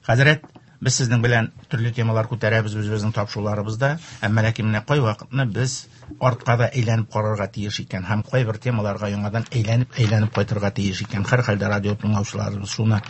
Хәзрәт, без сезнең белән төрле темалар күтәрәбез үзебезнең тапшыруларыбызда, әмма ләкин менә кайвакытны без артка да әйләнеп карарга тиеш икән һәм кайбер темаларга яңадан әйләнеп-әйләнеп кайтырга тиеш икән. Һәрхәлдә радио тыңлаучыларыбыз шуны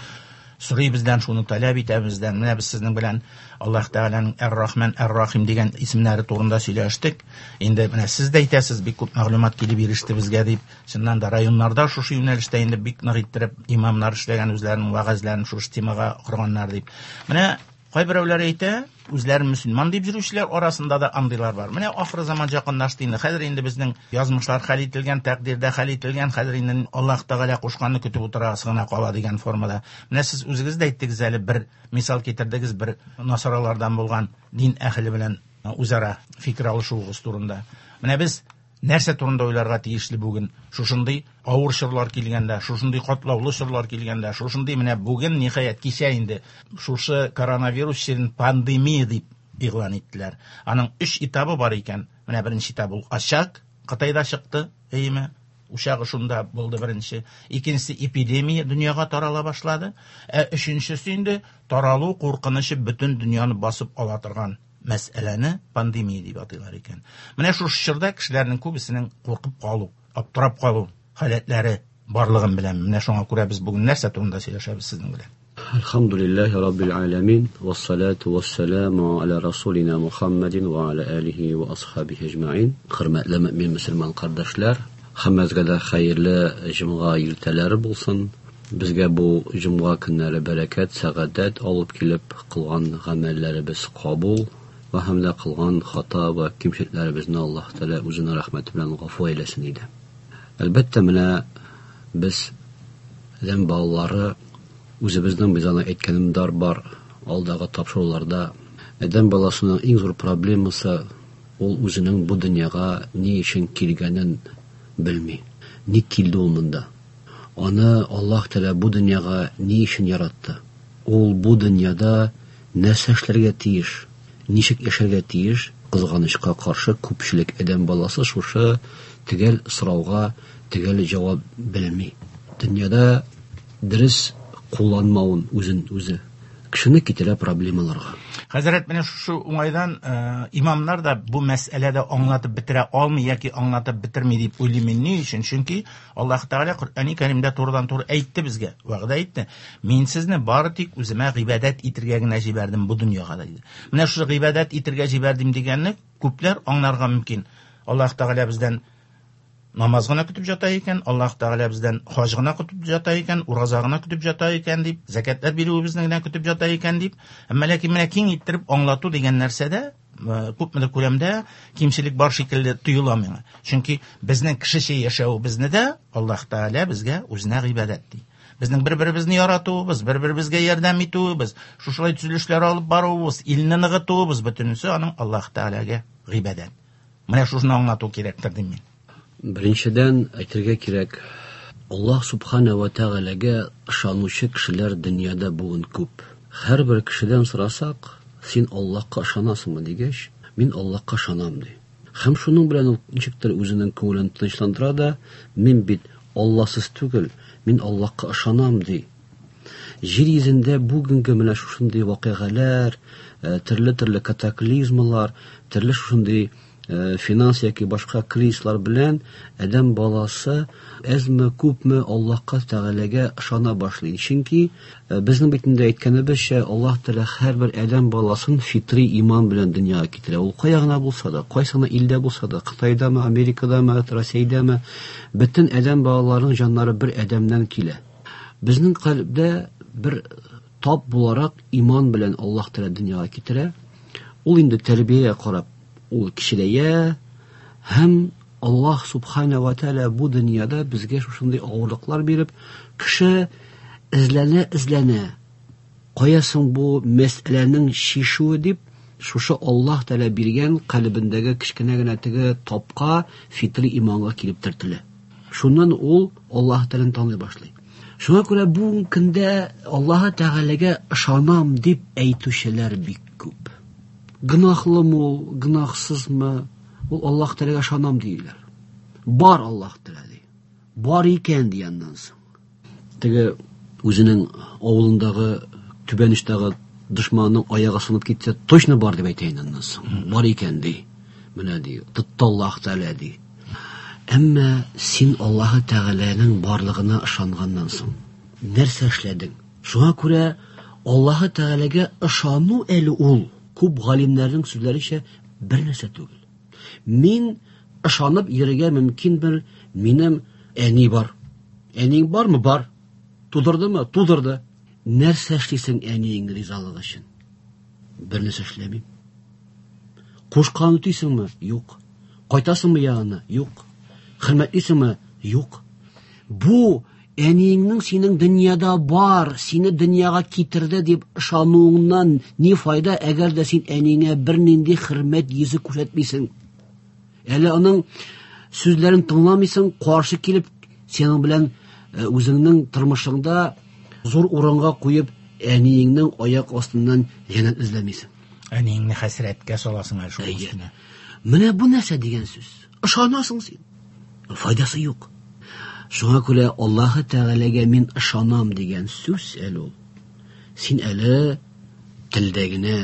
сорый бездән, шуны таләп итә бездән. Менә без сезнең белән Аллаһ Тәгаләнең Әр-Рахман, Әр-Рахим дигән исемнәре турында сөйләштек. Инде менә сез дә әйтәсез, бик күп мәгълүмат килеп иреште безгә дип. Чыннан да районнарда шушы юнәлештә инде бик нык иттереп имамнар эшләгән, үзләренең вәгазьләрен шушы темага корганнар дип. Менә кайберәүләр әйтә, үзләрен мөселман дип йөрүчеләр арасында да андыйлар бар. Менә ахыр заман якынлашты инде. Хәзер инде безнең язмышлар хәл ителгән, тәкъдирдә хәл ителгән, хәзер инде Аллаһ Тәгалә кушканны көтеп утырасы гына кала дигән формада. Менә сез үзегез дә әйттегез әле, бер мисал китердегез, бер насаралардан булган дин әһеле белән үзара фикер алышуыгыз турында. Менә без нәрсә турында уйларга тиешле бүген? Шушындый авыр чорлар килгәндә, шушындый катлаулы чорлар килгәндә, шушындый менә бүген, ниһаять, кичә инде шушы коронавирус чирен пандемия дип игълан иттеләр. Аның 3 этабы бар икән. Менә беренче этап ул очаг, Кытайда чыкты, әйеме? Учагы шунда булды беренче. Икенчесе эпидемия дөньяга тарала башлады. Ә өченчесе инде таралу куркынычы бөтен дөньяны басып ала торган мәсьәләне пандемия дип атыйлар икән. Менә шушы чорда кешеләрнең күбесенең куркып калу, аптырап калу халәтләре барлыгын беләм. Менә шуңа күрә без бүген нәрсә турында сөйләшәбез сезнең белән? Әлхәмдүлилләһи раббил аләмин, вассалату вассаламу аля расулина Мухаммадин ва аля алихи ва асхабихи әҗмәин. Хөрмәтле мөмин мөселман кардәшләр, һәммәгезгә дә хәерле җомга иртәләре булсын. Безгә бу җомга көннәре бәрәкәт, сәгадәт алып килеп, кылган гамәлләребез кабул вә һәм дә кылган хата вә кимчелекләребезне Аллаһ Тәгалә үзенең рәхмәте белән гафу әйләсен иде. Әлбәттә, менә без адәм балалары үзебезнең без аны әйткәнем дар бар алдагы тапшыруларда. Адәм баласының иң зур проблемасы ул үзенең бу дөньяга ни өчен килгәнен белми. Ник килде ул монда? Аны Аллаһ Тәгалә бу дөньяга ни өчен яратты? Ул бу дөньяда нәрсә эшләргә тиеш? Ничек яшәргә тиеш? Кызганычка каршы, күпчелек адәм баласы шушы төгәл сорауга төгәл җавап белми. Дөньяда дөрес кулланмавын үзен үзе кешене китерә проблемаларга. Хәзрәт, менә шушы уңайдан имамнар да бу мәсьәләдә аңлатып бетерә алмый яки аңлатып бетерми дип уйлыйм мин. Ни өчен? Чөнки Аллаһ Тәгалә Коръәни Кәримдә турыдан-туры әйтте безгә, вәгъдә итте. Мин сезне бары тик үземә гыйбадәт итергә генә җибәрдем бу дөньяга, диде. Менә шушы гыйбадәт итергә җибәрдем дигәнне күпләр аңларга мөмкин. Аллаһ Тәгалә бездән намаз гына көтеп ята икән, Аллаһ Тәгалә бездән хаҗ гына көтеп ята икән, ураза гына көтеп ята икән дип, зәкятләр бирүебезне генә көтеп ята икән дип. Әмма ләкин менә киң иттереп аңлату дигән нәрсәдә күпмедер күләмдә кимчелек бар шикелле тоела миңа. Чөнки безнең кешечә яшәвебезне дә Аллаһ Тәгалә безгә үзенә гыйбадәт ди. Безнең бер-беребезне яратуыбыз, бер-беребезгә ярдәм итүебез, шушылай төзелешләр алып баруыбыз, илне ныгытуыбыз, бөтенесе аның Аллаһ Тәгаләгә гыйбадәт. Менә шушыны аңлату кирәктер дим мин. Беренчедән, әйтергә кирәк, Аллаһ Субхана ва Тәгаләгә ышанучы кешеләр дөньяда бүген күп. Һәрбер кешедән сорасак, син Аллаһка ышанасыңмы дигәч, мин Аллаһка ышанам ди. Һәм шуның белән ул ничектер үзенең күңелен тынычландыра да, мин бит Алласыз түгел, мин Аллаһка ышанам ди. Җир йөзендә бүгенге менә шушындый вакыйгалар, төрле-төрле катаклизмалар, төрле шушындый финанс яки башка кризислар белән адәм баласы әзме күпме Аллаһка Тәгаләгә ышана башлый. Чөнки безнең бит инде әйткәнебезчә, Аллаһ Тәгалә һәрбер адәм баласын фитри иман белән дөньяга китерә. Ул кая гына булса да, кайсы гына илдә булса да, Кытайдамы, Америкадамы, Россиядәме, бөтен адәм балаларының җаннары бер адәмнән килә. Безнең кальбдә бер тап буларак иман белән Аллаһ Тәгалә дөньяга китерә. Ул инде тәрбиягә карап ул кечерәя һәм Аллаһ Субхана ва Тәгалә бу дөньяда безгә шушындый авырлыклар биреп, кеше эзләнә-эзләнә, кая соң бу мәсьәләнең чишүе дип, шушы Аллаһ Тәгалә биргән калебендәге кечкенә генә теге тапка, фитри иманга килеп төртелә. Шуннан ул Аллаһ Тәгаләне таный башлый. Шуңа күрә бүгенге көндә Аллаһ Тәгаләгә ышанам дип әйтүчеләр бик күп. Гөнаһлымы ул, гөнаһсызмы, ул Аллаһ Тәгаләгә ышанам диләр. Бар Аллаһ Тәгалә ди. Бар икән ди аннан соң. Теге үзенең авылындагы түбән очтагы Дошманның аягы сынып китсә, точно бар дип әйтә инде аннан соң. Бар икән ди. Менә ди, тотты Аллаһ Тәгалә ди. Әмма син Аллаһ Тәгаләнең барлыгына ышанганнан соң нәрсә эшләдең? Шуңа күрә Аллаһ Тәгаләгә ышану әле ул күп галимнәрнең сүзләренчә бер нәрсә түгел. Мин ышанып йөрергә мөмкин бер минем әни бар. Әниң бармы? Бар. Тудырдымы? Тудырды. Нәрсә эшлисең әниең ризалыгы өчен? Бер нәрсә эшләмим. Кушкан үтисеңме? Юк. Кайтасыңмы янына? Юк. Хөрмәтлисеңме? Юк. Бу әниеңнең синең дөньяда бар, сине дөньяга китерде дип ышануыңнан ни файда, әгәр дә син әниеңә бернинди хөрмәт йөзе күрсәтмисең? Әле аның сүзләрен тыңламыйсың, каршы килеп, синең белән үзеңнең тормышыңда зур урынга куеп, әниеңнең аяк астыннан җәннәт эзләмисең. Әниеңне хәсрәткә саласың әле шул өстенә. Менә бу нәрсә дигән сүз? Ышанасың син. Файдасы юк. Шуңа күрә Аллаһы Тәгаләгә мин ышанам дигән сүз әле ул. Син әле телдә генә,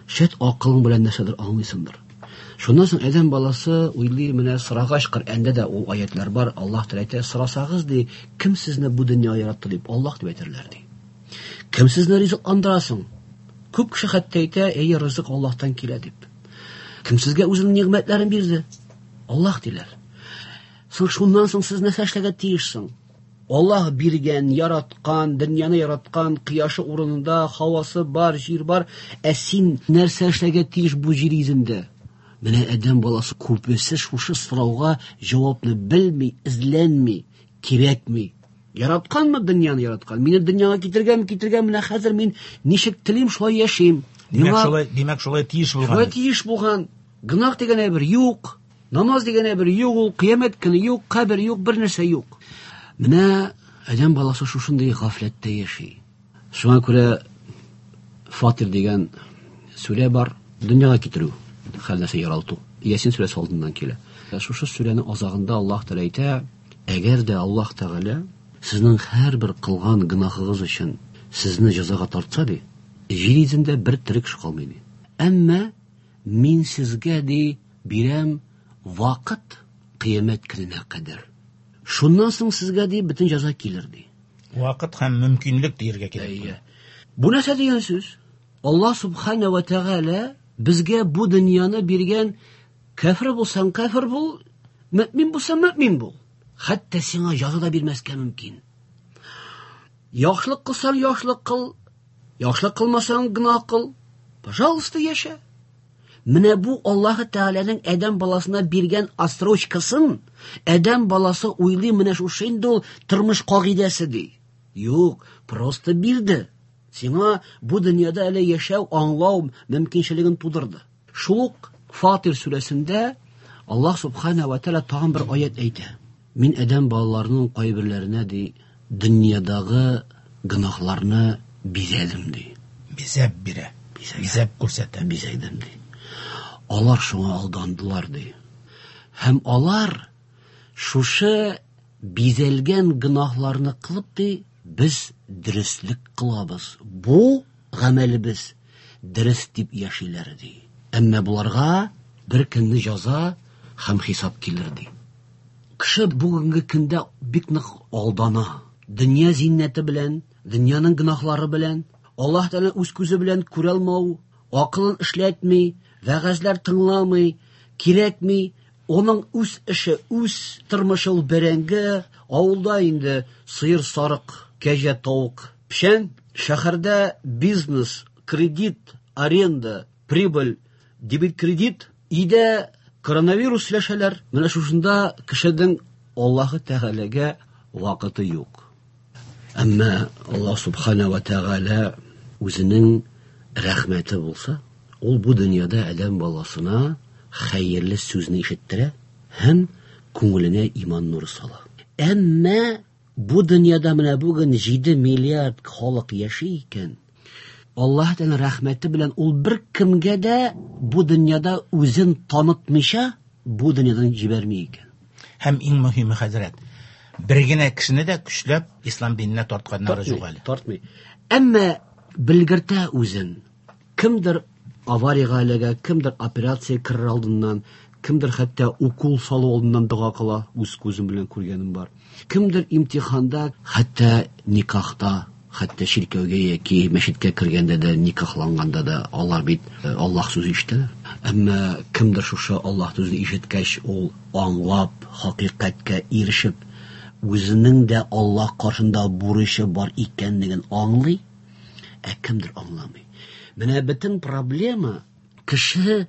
шәт акылың белән нәрсәдер аңлыйсыңдыр. Шуннан соң адәм баласы уйлый, менә сорагач, Коръәндә дә ул аятлар бар, Аллаһ Тәгалә әйтә, сорасагыз ди, кем сезне бу дөньяга яратты дип, Аллаһ дип әйтерләр ди. Кем сезне ризыкландыра соң? Күп кеше хәтта әйтә, әйе, ризык Аллаһтан килә дип. Кем сезгә үзенең нигъмәтләрен бирде? Аллаһ диләр. Соң шуннан соң сез нәрсә эшләргә тиеш соң? Аллаһ биргән, яраткан, дөньяны яраткан, кояшы урынында, һавасы бар, җир бар, ә син нәрсә эшләргә тиеш бу җир йөзендә? Менә адәм баласы күбесе шушы сорауга җавапны белми, эзләнми, кирәкми. Яратканмы дөньяны яраткан? Мине дөньяга китергән, китергән, менә хәзер мин ничек телим, шулай яшим. Димәк, шулай, димәк, шулай тиеш булган. Шулай тиеш булган. Гөнаһ дигән әйбер юк. Намаз дигән әйбер юк ул, кыямәт көне юк, кабер юк, бер нәрсә юк. Менә адәм баласы шушындый гафләттә яши. Шуңа күрә Фатир дигән сүрә бар, дөньяга китерү, һәр нәрсә яралту. Ясин сүрәсе алдыннан килә. Шушы сүрәнең азагында Аллаһ Тәгалә әйтә, әгәр дә Аллаһ Тәгалә сезнең һәрбер кылган гөнаһыгыз өчен сезне җәзага тартса ди, җир йөзендә бер тере кеше калмый ди. Әмма мин сезгә ди бирәм вакыт кыямәт көненә кадәр. Шуннан соң сезгә ди бөтен җәза килер ди. Вакыт һәм мөмкинлек диергә кирәк. Бу нәрсә дигән сүз? Аллаһ субхана ва тәгалә безгә бу дөньяны биргән, кәфер булсаң кәфер бул, мөмин булсаң мөмин бул. Хәтта сиңа җәза да бирмәскә мөмкин. Яхшылык кылсаң яхшылык кыл, яхшылык кылмасаң гөнаһ кыл. Пожалуйста, яшә. Менә бу Аллаһ Тәгаләнең адәм баласына биргән отсрочкасын адәм баласы уйлый, менә шушы инде ул тормыш кагыйдәсе ди. Юк, просто бирде. Сиңа бу дөньяда әле яшәү, аңлау мөмкинчелеген тудырды. Шул ук Фатир сүрәсендә Аллаһ субхана ва тәгалә тагын бер аят әйтә. Мин адәм балаларының кайберләренә ди дөньядагы гөнаһларны бизәдем ди. Бизәп бирә. Бизәп күрсәтә. Бизәдем ди. Алар шуңа алдандылар ди. Һәм алар шушы бизәлгән гөнаһларны кылып ди, без дөреслек кылабыз. Бу гамәлебез дөрес дип яшиләр ди. Әмма буларга бер көнне җәза һәм хисап килер ди. Кеше бүгенге көндә бик нык алдана. Дөнья зиннәте белән, дөньяның гөнаһлары белән, Аллаһ Тәгалә үз күзе белән күрә алмау, акылын эшләтми, вәгазьләр тыңламый, кирәкми. Оның үз эше, үз тормышы ул бәрәңге, авылда инде сыер, сарык, кәҗә, тавык, печән, шәһәрдә бизнес, кредит, аренда, прибыль, дебет, кредит, өйдә коронавирус сөйләшәләр. Менә шушында кешенең Аллаһы Тәгаләгә вакыты юк. Әмма Аллаһ субхана ва тәгалә үзенең рәхмәте булса, ул бу дөньяда адәм баласына хәерле сүзне ишеттерә һәм күңеленә иман нуры сала. Әмма бу дөньяда менә бүген 7 миллиард халык яши икән, Аллаһ Тәгалә рәхмәте белән ул бер кемгә дә бу дөньяда үзен танытмыйча бу дөньядан җибәрми икән. Һәм иң мөһиме, хәзрәт, бер генә кешене дә көчләп ислам диненә тартканнары юк әле. Тартмый. Әмма Белгертә үзен. Кемдер аварияга эләгә, кемдер операция керер алдыннан, кемдер хәтта укол салу алдыннан дога кыла, үз күзем белән күргәнем бар. Кемдер имтиханда, хәтта никахта, хәтта чиркәүгә яки мәчеткә кергәндә дә, никахланганда да алар бит Аллаһ сүзе ишетәләр. Әмма кемдер шушы Аллаһ сүзен ишеткәч, ул аңлап, хакыйкатькә ирешеп, үзенең дә Аллаһ каршында бурычы бар икәнлеген аңлый, ә кемдер аңламый. Менә бөтен проблема кеше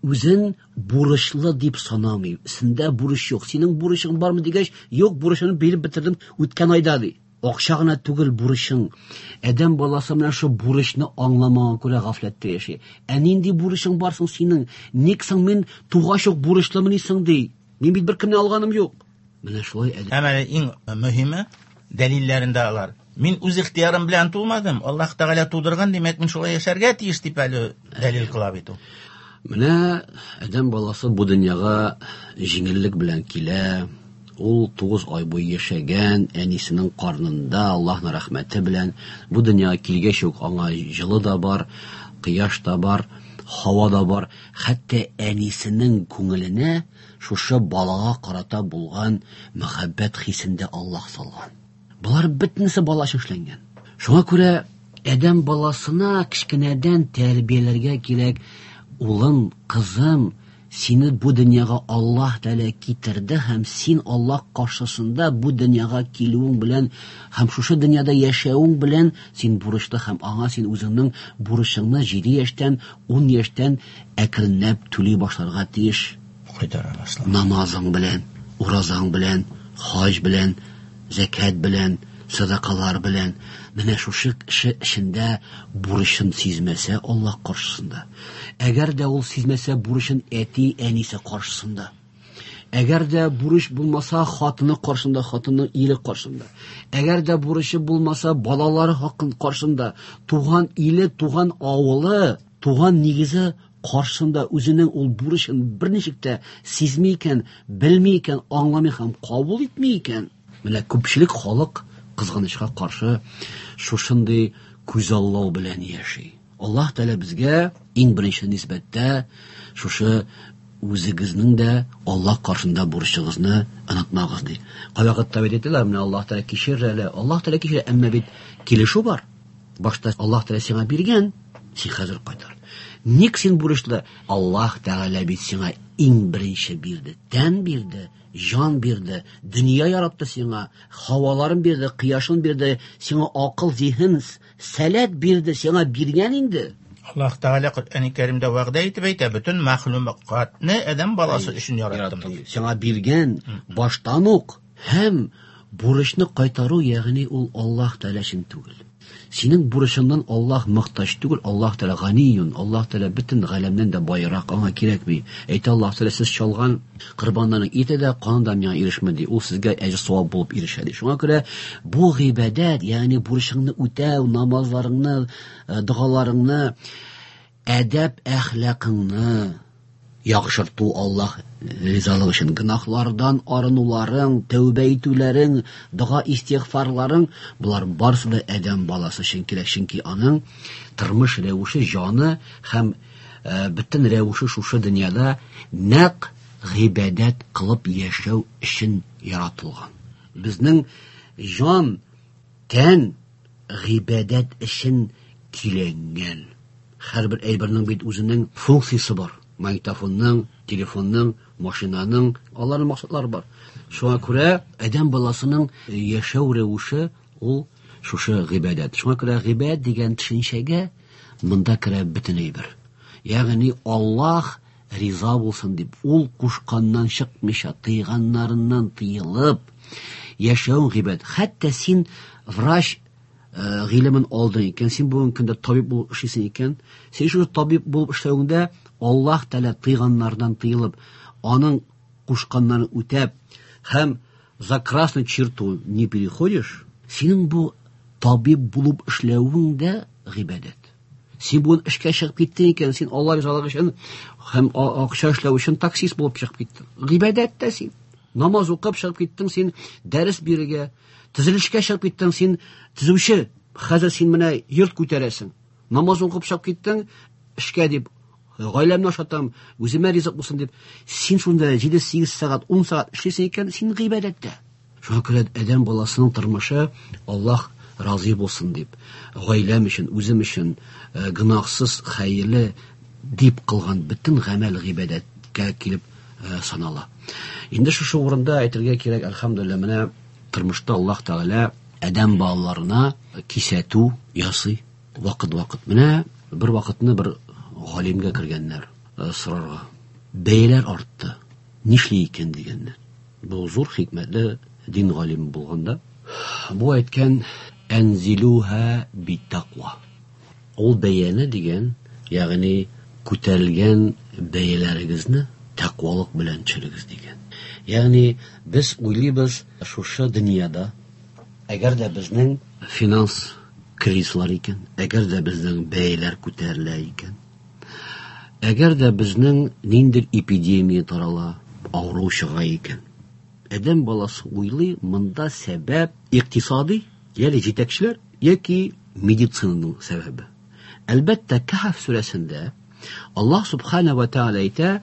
үзен бурычлы дип санамый. Синдә бурыч юк. Синең бурычың бармы дигәч, юк, бурычымны биреп бетердем үткән айда ди. Акча гына түгел бурычың. Адәм баласы менә шу бурычны аңламаган күрә гафләттә яши. Ә нинди бурычың бар соң синең? Ник соң мин тугач ук бурычлымыни соң ди? Мин бит беркемнән алганым юк. Менә шулай адәм. Һәм әле иң мөһиме дәлилләрендә алар. Мин үз ихтыярым белән тумадым, Аллаһ Тәгалә тудырган, димәк, мин шулай яшәргә тиеш дип әле дәлил кыла бит ул. Менә адәм баласы бу дөньяга җиңеллек белән килә. Ул 9 ай буе яшәгән әнисенең карнында Аллаһның рәхмәте белән бу дөньяга килгәч үк аңа җылы да бар, кояш та бар, һава да бар. Хәтта әнисенең күңеленә шушы балага карата булган мәхәббәт хисен дә Аллаһ салган. Болар бөтенесе бала өчен эшләнгән. Шуңа күрә адәм баласына кечкенәдән тәрбияләргә кирәк. Улым, кызым, сине бу дөньяга Аллаһ Тәгалә китерде һәм син Аллаһ каршысында бу дөньяга килүең белән һәм шушы дөньяда яшәвең белән син бурычлы һәм аңа син үзеңнең бурычыңны 7 яшьтән, 10 яшьтән әкренләп түли башларга тиеш. Кайтара башлау. Намазың белән, уразаң белән, хаҗ белән, зәкят белән, садакалар белән. Менә шушы кеше эчендә бурычын сизмәсә Аллаһ каршысында. Әгәр дә ул сизмәсә бурычын әти-әнисе каршысында. Әгәр дә бурыч булмаса хатыны каршында, хатынның ире каршында. Әгәр дә бурычы булмаса балалары хакын каршында, туган иле, туган авылы, туган нигезе каршында үзенең ул бурычын берничек тә сизми икән, белми икән, аңламый һәм кабул итми икән. Менә күпчелек халык кызганычка каршы шушындый күзаллау белән яши. Аллаһ Тәгалә безгә иң беренче нисбәттә шушы үзегезнең дә Аллаһ каршында бурычыгызны онытмагыз ди. Кайвакытта бит әйтәләр, менә Аллаһ Тәгалә кичерер әле, Аллаһ Тәгалә кичерә, әмма бит килешү бар. Башта Аллаһ Тәгалә сиңа биргән, син хәзер кайтар. Ник син бурычлы? Аллаһ Тәгалә бит сиңа иң беренче бирде, тән бирде, җан бирде, дөнья яратты сиңа, һаваларын бирде, кояшын бирде, сиңа акыл, зиһен, сәләт бирде, сиңа биргән инде. Аллаһ Тәгалә Коръәни Кәримдә вәгъдә итеп әйтә, бөтен мәхлукатны адәм баласы өчен яраттым. Сиңа биргән баштан ук һәм бурычны кайтару, ягъни ул Аллаһ Тәгалә өчен түгел. Синең бурычыңнан Аллаһ мохтаҗ түгел, Аллаһ Тәгалә ганиюн, Аллаһ Тәгалә бөтен галәмнән дә байрак, аңа кирәкми. Әйтә Аллаһ Тәгалә, сез чалган корбаннарның ите дә, каны да миңа ирешми ди. Ул сезгә әҗер савап булып ирешә ди. Шуңа күрә бу гыйбадәт, ягъни бурычыңны үтәү, намазларыңны, догаларыңны, әдәп әхлакыңны яхшырту Аллаһ ризалыгы өчен, гөнаһлардан арынуларың, тәүбә итүләрең, дога истигъфарларың, болар барысы да адәм баласы өчен кирәк, чөнки аның тормыш рәвеше, җаны һәм бөтен рәвеше шушы дөньяда нәкъ гыйбадәт кылып яшәү өчен яратылган. Безнең җан, тән гыйбадәт өчен көйләнгән. Һәрбер әйбернең бит үзенең функциясе бар. Магнитофонның, телефонның, машинаның, аларның максатлары бар. Шуңа күрә адәм баласының яшәү рәвеше ул шушы гыйбадәт. Шуңа күрә гыйбадәт дигән төшенчәгә монда керә бөтен әйбер. Ягъни Аллаһ риза булсын дип, ул кушканнан чыкмыйча, тыйганнарыннан тыелып яшәү гыйбадәт. Хәтта син врач гыйлемен алдың икән, син бүгенге көндә табиб булып эшлисең икән, син шушы табиб булып эшләвеңдә Аллаһ Тәгалә тыйганнардан тыелып, аның кушканнарын үтәп һәм за красную черту не переходишь, синең бу табиб булып эшләвең дә гыйбадәт. Син бүген эшкә чыгып киттең икән, син Алла ризалыгы өчен һәм акча эшләү өчен таксист булып чыгып киттең. Гыйбадәт тә син. Намаз укып чыгып киттең, син дәрес бирергә, төзелешкә чыгып киттең, син төзүче. Хәзер син менә йорт күтәрәсең. Намаз укып чыгып киттең, эшкә дип, гаиләмне ашатам, үземә ризык булсын дип, син шунда 7-8 сәгать, 10 сәгать эшлисең икән, син гыйбадәттә. Шуңа күрә адәм баласының тормышы Аллаһ разый булсын дип, гаиләм өчен, үзем өчен гөнаһсыз, хәерле дип кылган бөтен гамәл гыйбадәткә килеп санала. Инде шушы урында әйтергә кирәк, әлхәмдүлилләһ, менә тормышта Аллаһ Тәгалә адәм балаларына кисәтү ясый вакыт-вакыт. Менә бер вакытны бер галимгә кергәннәр сорарга. Бәяләр артты. Нишли икән дигәннәр. Бу зур хикмәтле дин галиме булганда, бу әйткән әнзилуха биттаква. Ул бәяне дигән, ягъни күтәрелгән бәяләрегезне тәкъвалык белән төшерегез дигән. Ягъни без уйлыйбыз шушы дөньяда, әгәр дә безнең финанс кризислар икән, әгәр дә безнең бәяләр күтәрелә икән, әгәр дә безнең ниндидер эпидемия тарала, авыру чыга икән, адәм баласы уйлый, монда сәбәп икътисади, ягъни җитәкчеләр яки медицинаның сәбәбе. Әлбәттә, Кәһф сүрәсендә Аллаһ субхана ва тааля әйтә: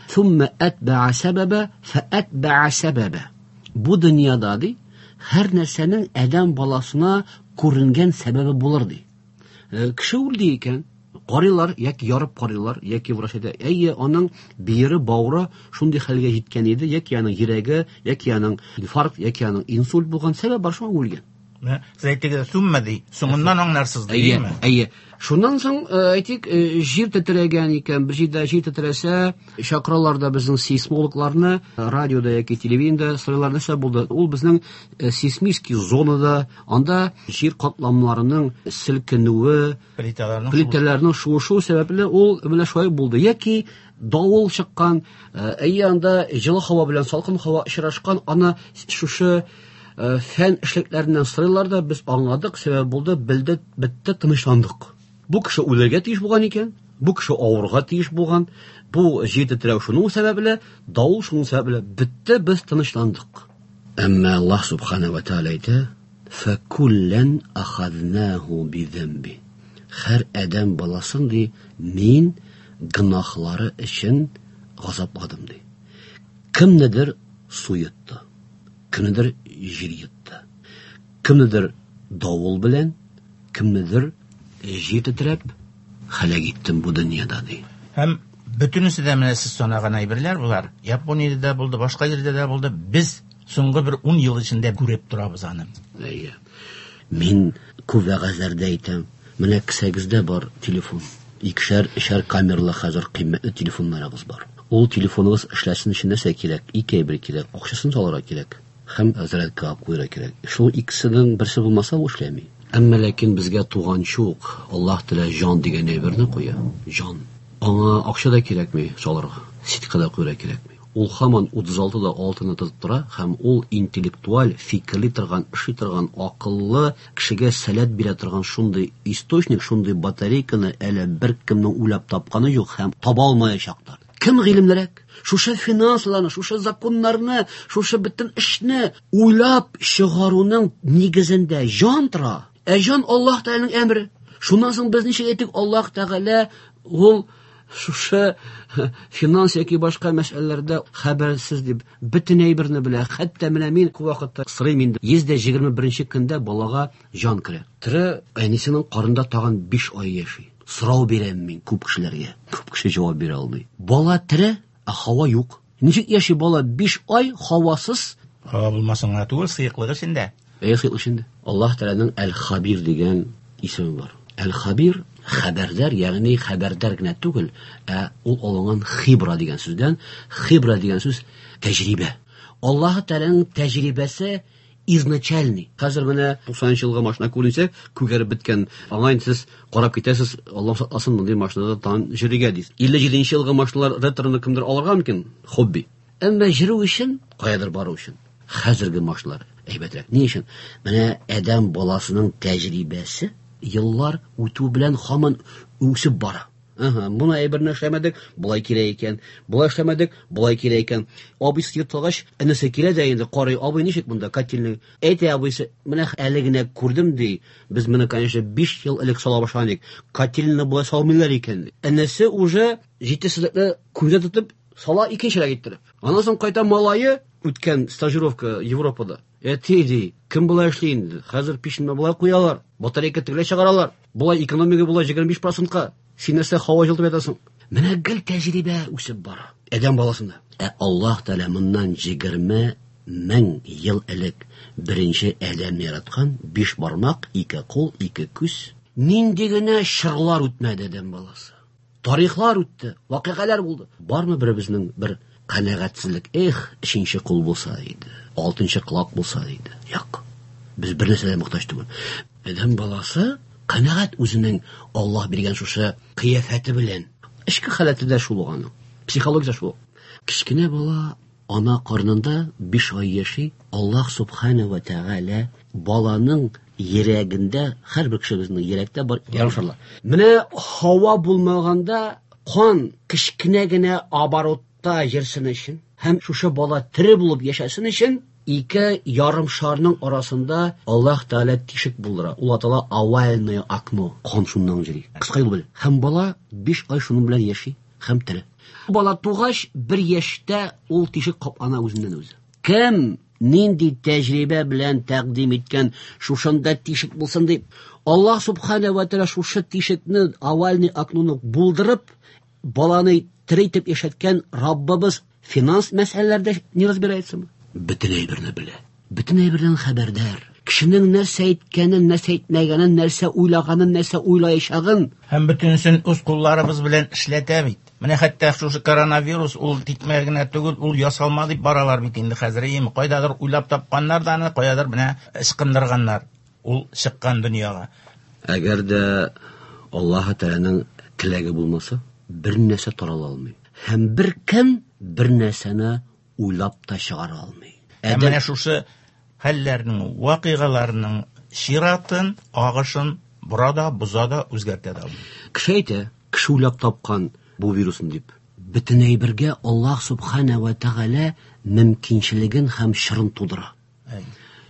"Thumma atba'a сәбәбә, фa'атба'a сәбәбә". Бу дөньяда ди, һәр нәрсәнең адәм баласына күренгән сәбәбе булыр ди. Кеше үлде икән, карыйлар яки ярып карыйлар, яки врач әйтә, әйе, аның бөере, бавыры шундый хәлгә җиткән иде, яки аның йөрәге, яки аның инфаркт, яки аның инсульт булган, сәбәп бар, шуңа үлгән. Сез әйттегез, сумма ди, соңыннан аңларсыз ди, әйеме? Әйе. Шуннан соң, әйтик, җир тетрәгән икән, бер җирдә җир тетрәсә, чакыралар да безнең сейсмологларны, радиода яки телевидениедә сорыйлар, нәрсә булды? Ул безнең сейсмический зонада, анда җир катламнарының селкенүе, плиталарның шуышу сәбәпле ул менә шулай булды. Яки давыл чыккан, әйе, анда җылы һава белән салкын һава очрашкан, аны шушы фән эшлекләреннән сорыйлар да, без аңладык, сәбәп булды, белдек, бетте, тынычландык. Бу кеше үлергә тиеш булган икән, бу кеше авырга тиеш булган, бу җир тетрәү шуның сәбәпле, давыл шуның сәбәпле, бетте, без тынычландык. Әмма Аллаһ субхана ва тааля әйтә: "Фәкуллән ахазнаху бидәмби". Һәр адәм баласын ди, мин гөнаһлары өчен газапладым ди. Кемнедер су йотты, кемнедер җир йотты, кемнедер давыл белән, кемнедер җир тетрәп һәлак иттем бу дөньяда ди. Һәм бөтенесе дә менә сез санаган әйберләр булар. Япониядә дә булды, башка җирдә дә булды. Без соңгы бер 10 ел эчендә күреп торабыз аны. Әйе. Мин күп вәгазьләрдә әйтәм, менә кесәгездә бар телефон. Икешәр, өчәр камералы хәзер кыйммәтле телефоннарыгыз бар. Ул телефоныгыз эшләсен өчен нәрсә кирәк? Ике әйбер кирәк. Акчасын салырга кирәк һәм зарядкага куярга кирәк. Шул икесенең берсе булмаса, ул эшләми. Әмма ләкин безгә туганчы ук Аллаһ Тәгалә җан дигән әйберне куя. Җан. Аңа акча да кирәкми салырга, сетка да куярга кирәкми. Ул һаман 36 да 6-ны тотып тора һәм ул интеллектуаль, фикерли торган, эшли торган, акыллы кешегә сәләт бирә торган шундый источник, шундый батарейканы әле беркемнең уйлап тапканы юк һәм таба алмаячак та. Кем гыйлемлерәк? Шушы финансларны, шушы законнарны, шушы бөтен эшне уйлап чыгаруның нигезендә җан тора. Ә җан Аллаһ Тәгаләнең әмере. Шуннан соң без ничек әйтик, Аллаһ Тәгалә ул шушы финанс яки башка мәсьәләләрдә хәбәрсез дип бөтен әйберне белә. Хәтта менә мин күп вакытта сорыйм инде. 121 көндә балага җан керә. Тере әнисенең карында тагын 5 ай яши. Сорау бирәм мин күп кешеләргә. Күп кеше җавап бирә алмый. Бала тере, ә һава юк. Ничек яши бала 5 ай һавасыз? Һава булмасын гына түгел, сыеклык эчендә. Әйе, сыеклык эчендә. Аллаһ Тәгаләнең Әл-Хабир дигән исеме бар. Әл-Хабир хәбәрдар, ягъни хәбәрдар генә түгел, ә ул алынган хибра дигән сүздән. Хибра дигән сүз тәҗрибә. Аллаһ Тәгаләнең тәҗрибәсе изначальный. Хәзер менә 90 елгы машина күренсә, күгәреп беткән. Аңа инде сез карап китәсез, Аллаһ сакласын, мондый машинада тагын йөрергә дисез. 57 елгы машиналар ретроны кемдер алырга мөмкин, хобби. Әмма йөрү өчен, каядыр бару өчен хәзерге машиналар әйбәтрәк. Ни өчен? Менә адәм баласының тәҗрибәсе еллар үтү белән һаман үсеп бара. Ага, моны әйберне эшләмәдек, болай кирәк икән. Болай эшләмәдек, болай кирәк икән. Абыйсы йортлагач, энесе килә дә инде карый, абый ничек монда котельный? Әйтә абыйсы, менә әле генә күрдем ди. Без моны, конечно, 5 ел элек сала башлаган идек. Котельныйны болай салмыйлар икән. Энесе уже җитешсезлекне күздә тотып сала икенчерәк иттереп. Аннан соң кайта малае үткән стажировка Европада. Әти ди, кем болай эшли инде? Хәзер пешне болай куялар, батарейка тегеләй чыгаралар. Болай экономика болай 25%-ка. Син нәрсә һава җылытып ятасың? Менә гел тәҗрибә үсеп бара. Адәм баласында. Ә Аллаһ Тәгалә моннан 20 мең ел элек беренче адәмне яраткан, 5 бармак, 2 кул, 2 күз. Нинди генә чорлар үтмәде адәм баласы. Тарихлар үтте, вакыйгалар булды. Бармы беребезнең бер канәгатьсезлек? Эх, өченче кул булса иде, алтынчы колак булса иде. Юк. Без бер нәрсәгә мохтаҗ түгел. Адәм баласы канәгать үзенең Аллаһ биргән шушы кыяфәте белән. Эчке халәте дә шул аның. Психология шул. Кечкенә бала ана карнында 5 ай яши. Аллаһ субхана ва тәгалә баланың йөрәгендә, һәрбер кешебезнең йөрәктә бар ярымшарлар. Менә һава булмаганда кан кечкенә генә оборотта йөрсен өчен һәм шушы бала тере булып яшәсен өчен ике ярымшарның арасында Аллаһ Тәгалә тишек булдыра. Ул атала овальное окно. Кан шуннан йөри. Кыска юл белән. Һәм бала 5 ай шуның белән яши һәм тере. Бала тугач 1 яшьтә ул тишек каплана үзеннән үзе. Кем нинди тәҗрибә белән тәкъдим иткән шушында тишек булсын дип, Аллаһ субхана ва тәгалә шушы тишекне, овальный окноны булдырып, баланы тере итеп яшәткән Раббыбыз финанс мәсьәләләрдә не разбирается? Бөтен әйберне белә. Бөтен әйбердән хәбәрдар. Кешенең нәрсә әйткәнен, нәрсә әйтмәгәнен, нәрсә уйлаганын, нәрсә уйлаячагын. Һәм бөтенесен үз кулларыбыз белән эшләтә бит. Менә хәтта шушы коронавирус ул тикмә генә түгел, ул ясалма дип баралар бит инде хәзер. Әйеме, кайдадыр уйлап тапканнар да аны, каядыр менә ычкындырганнар. Ул чыккан дөньяга. Әгәр дә Аллаһ Тәгаләнең теләге булмаса, бер нәрсә тарала алмый. Һәм бер кем бер нәрсәне уйлап та чыгара алмый. Ә менә шушы хәлләрнең, вакыйгаларның чиратын, агышын бора да, боза да, үзгәртә дә алмый. Кеше әйтә, кеше уйлап тапкан бу вирусны дип. Бөтен әйбергә Аллаһ субхана ва тәгалә мөмкинчелеген һәм чорын тудыра.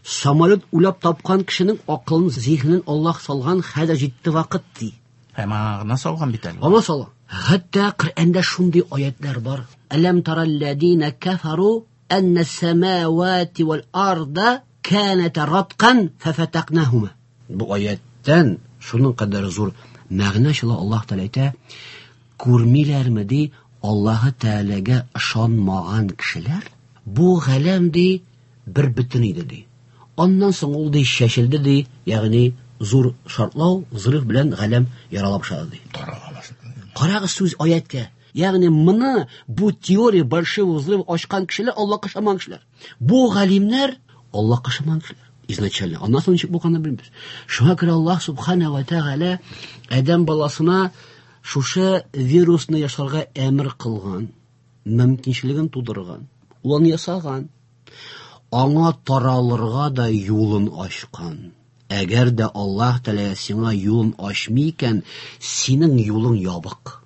Самолет уйлап тапкан кешенең акылын, зиһенен Аллаһ салган, хәзер җитте вакыт ди. Һәм аңа гына салган бит әле. Аңа салган. Хәтта Коръәндә шундый аятлар бар. Әләм таралләдина кафару әннә самавати вал арда каната раткан фафатакнахума. Бу аяттан шуның кадәр зур мәгънә чыла. Аллаһ Тәгалә әйтә, күрмиләрме ди Аллаһ Тәгаләгә ышанмаган кешеләр? Бу галәм ди бер бөтен иде ди. Аннан соң ул ди чәчелде ди, ягъни зур шартлау, взрыв белән галәм ярала башлады ди. Тарала башлады. Карагыз сүз аяткә. Ягъни моны бу теория большого взрыва ачкан кешеләр Аллаһка ышанмаган кешеләр. Бу галимнәр Аллаһка ышанмаган кешеләр. Изначально. Аннан соң ничек булганын белмибез. Шуңа күрә Аллаһ субхана ва тәгалә адәм баласына шушы вирусны ясарга әмер кылган, мөмкинчелеген тудырган, ул аны ясаган, аңа таралырга да юлын ачкан. Әгәр дә Аллаһ Тәгалә сиңа юлын ачмый икән, синең юлың ябык.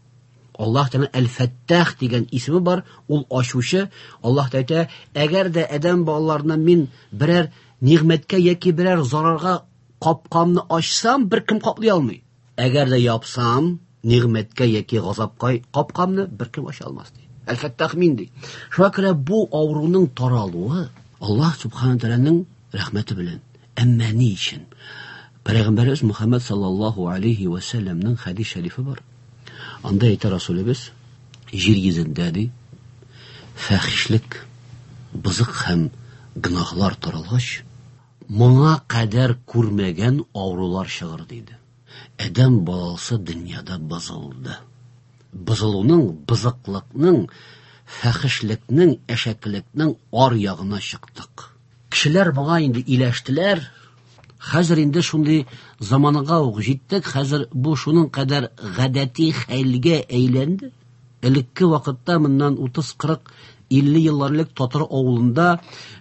Аллаһ Тәгалә Әл-Фәттах дигән исеме бар, ул ачучы. Аллаһ Тәгалә әйтә, әгәр дә адәм балаларына мин берәр нигъмәткә яки берәр зарарга капкамны ачсам, бер кем каплый алмый. Әгәр дә япсам, нигъмәткә яки газапка капкамны бер кем ача алмас ди. Әл-Фәттах мин ди. Шуңа күрә бу авыруның таралуы Аллаһ субхана тәгаләнең рәхмәте белән. Әмма ни өчен? Пәйгамбәребез Мухаммад саллаллаһу алейхи ва сәлләмнең хәдис шәрифе бар. Анда әйтә Расулебез, җир йөзендә ди, фәхишлек, бозык һәм гөнаһлар таралгач, моңа кадәр күрмәгән авырулар чыгыр диде. Адәм баласы дөньяда бозылды. Бозылуның, бозыклыкның, фәхишлекнең, әшәкелекнең ар ягына чыктык. Кешеләр моңа инде иләштеләр. Хәзер инде шундый заманга ук җиттек. Хәзер бу шуның кадәр гадәти хәлгә әйләнде. Элекке вакытта моннан 30, 40, 50 еллар элек татар авылында